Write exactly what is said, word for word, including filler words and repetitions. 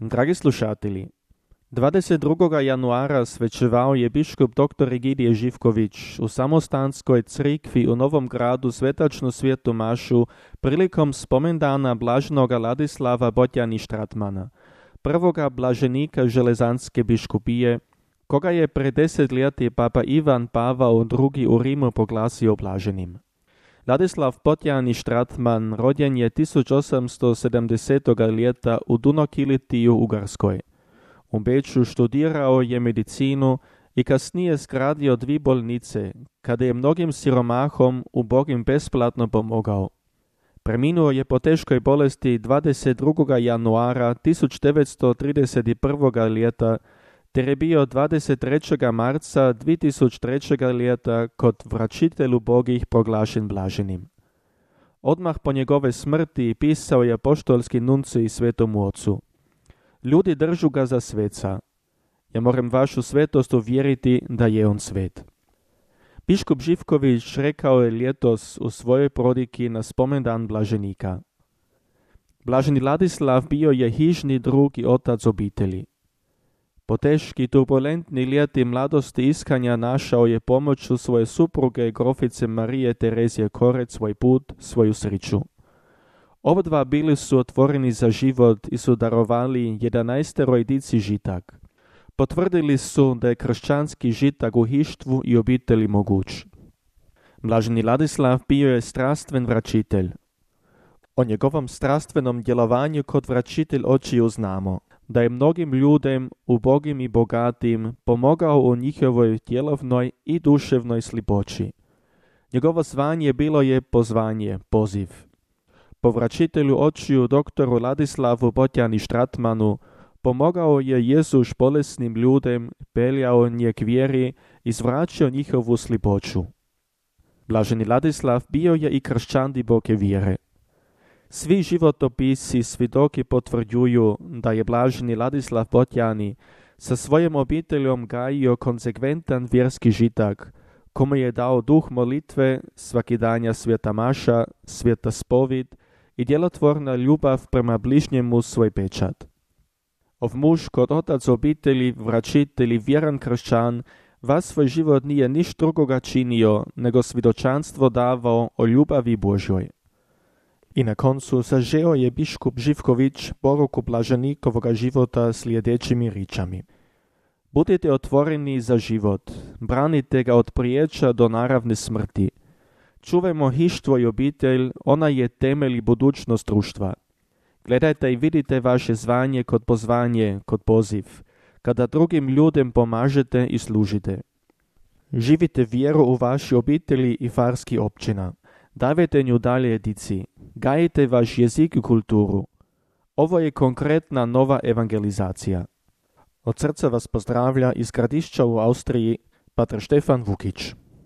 Dragi slušatelji, dvadeset drugog januara svečevao je biškup doktor Egidije Živković u Samostanskoj crikvi u Novom Gradu svetačnu svijetu mašu prilikom spomendana blaženoga Ladislava Botjani Štratmana, prvoga blaženika Železanske biškupije, koga je pred deset ljeti papa Ivan Pavao drugi u Rimu proglasio blaženim. Ladislav Botjani Štratman rođen je tisuć osamsto sedamdesetog ljeta u Dunokilitiju u Ugarskoj. U Beču študirao je medicinu i kasnije zgradio dvi bolnice, kada je mnogim siromahom ubogim besplatno pomogao. Preminuo je po teškoj bolesti dvadeset drugog januara tisuć devetsto trideset prvog ljeta, te je bio dvadeset trećeg marca dvije tisuće trećeg ljeta kod vraćitelju bogih proglašen blaženim. Odmah po njegove smrti pisao je apoštolski nuncij Svetomu Ocu: Ljudi držu ga za sveca. Ja moram vašu svetost uvjeriti da je on svet. Biškup Živković rekao je ljetos u svojoj prodiki na spomendan blaženika: Blaženi Ladislav bio je hižni drug i otac obitelji. Po teški turbulentni ljeti mladosti iskanja našao je pomoću svoje supruge grofice Marije Terezije Korec svoj put, svoju sriću. Obadva bili su otvoreni za život i su darovali jedanaesteroj dici žitak. Potvrdili su da je kršćanski žitak u hištvu i obitelji moguć. Blaženi Ladislav bio je strastven vraćitelj. O njegovom strastvenom djelovanju kod vraćitelj očiju znamo, da je mnogim ljudem, ubogim i bogatim, pomogao u njihovoj tjelovnoj i duševnoj slipoći. Njegovo zvanje bilo je pozvanje, poziv. Po vraćitelju očiju doktoru Ladislavu Botjani Štratmanu pomogao je Jezus bolesnim ljudem, peljao nje k vjeri i zvraćao njihovu slipoću. Blaženi Ladislav bio je i kršćan duboke vjere. Svi životopisi svjedoki potvrđuju da je blaženi Ladislav Botjani sa svojom obiteljom gajio konsekventan vjerski žitak, kome je dao duh molitve, svakidanja sveta maša, sveta spovid i djelotvorna ljubav prema bližnjemu svoj pečat. Ov muž kod otac obitelji, vraćitelj i vjeran kršćan, vas svoj život nije niš drugoga činio, nego svjedočanstvo davao o ljubavi Božjoj. I na koncu sažeo je biškup Živković poruku blaženikovoga života sljedećimi ričami: Budite otvoreni za život, branite ga od priječa do naravne smrti. Čuvajmo hištvo i obitelj, ona je temelj i budućnost društva. Gledajte i vidite vaše zvanje kod pozvanje, kod poziv, kada drugim ljudem pomažete i služite. Živite vjeru u vaši obitelji i farski općina. Davajte nju dalje dici. Gajite vaš jezik i kulturu. Ovo je konkretna nova evangelizacija. Od srca vas pozdravlja iz Gradišća u Austriji pater Štefan Vukić.